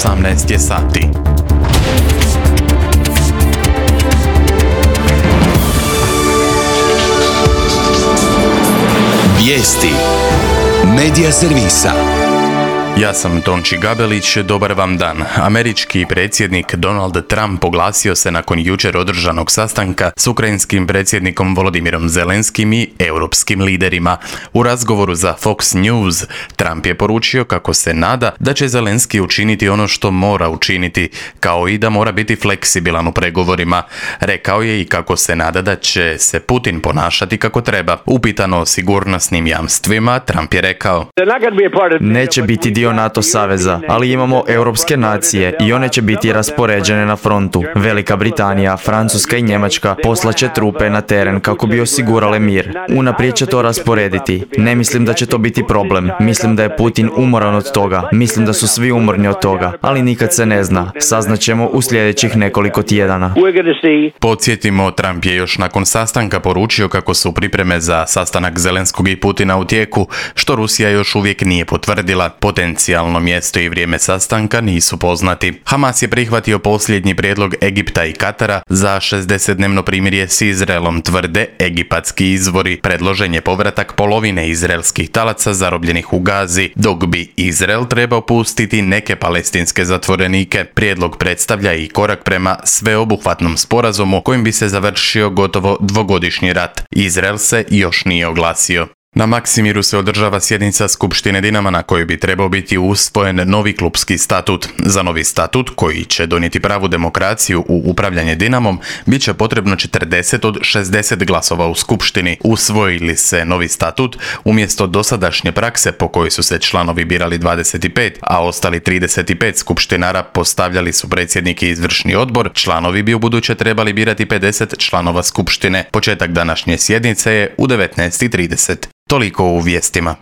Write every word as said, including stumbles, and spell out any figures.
osamnaest je sati. Vijesti Medija servisa. Ja sam Tonči Gabelić, dobar vam dan. Američki predsjednik Donald Trump oglasio se nakon jučer održanog sastanka s ukrajinskim predsjednikom Volodimirom Zelenskim i europskim liderima. U razgovoru za Fox News, Trump je poručio kako se nada da će Zelenski učiniti ono što mora učiniti, kao i da mora biti fleksibilan u pregovorima. Rekao je i kako se nada da će se Putin ponašati kako treba. Upitano o sigurnosnim jamstvima, Trump je rekao: Neće biti dio NATO saveza, ali imamo europske nacije i one će biti raspoređene na frontu. Velika Britanija, Francuska i Njemačka poslaće trupe na teren kako bi osigurale mir. Unaprijed će to rasporediti. Ne mislim da će to biti problem. Mislim da je Putin umoran od toga. Mislim da su svi umorni od toga. Ali nikad se ne zna. Saznaćemo u sljedećih nekoliko tjedana. Podsjetimo, Trump je još nakon sastanka poručio kako su pripreme za sastanak Zelenskog i Putina u tijeku, što Rusija još uvijek nije potvrdila. Potencijalno mjesto i vrijeme sastanka nisu poznati. Hamas je prihvatio posljednji prijedlog Egipta i Katara za šezdesetdnevno primirje s Izraelom, tvrde egipatski izvori. Predložen je povratak polovine izraelskih talaca zarobljenih u Gazi, dok bi Izrael trebao pustiti neke palestinske zatvorenike. Prijedlog predstavlja i korak prema sveobuhvatnom sporazumu kojim bi se završio gotovo dvogodišnji rat. Izrael se još nije oglasio. Na Maksimiru se održava sjednica Skupštine Dinama na kojoj bi trebao biti usvojen novi klupski statut. Za novi statut, koji će donijeti pravu demokraciju u upravljanje Dinamom, bit će potrebno četrdeset od šezdeset glasova u Skupštini. Usvojili se novi statut, umjesto dosadašnje prakse po kojoj su se članovi birali dvadeset pet, a ostali trideset pet skupštinara postavljali su predsjednik i izvršni odbor, članovi bi ubuduće trebali birati pedeset članova Skupštine. Početak današnje sjednice je u devetnaest i trideset. Toliko u vijestima.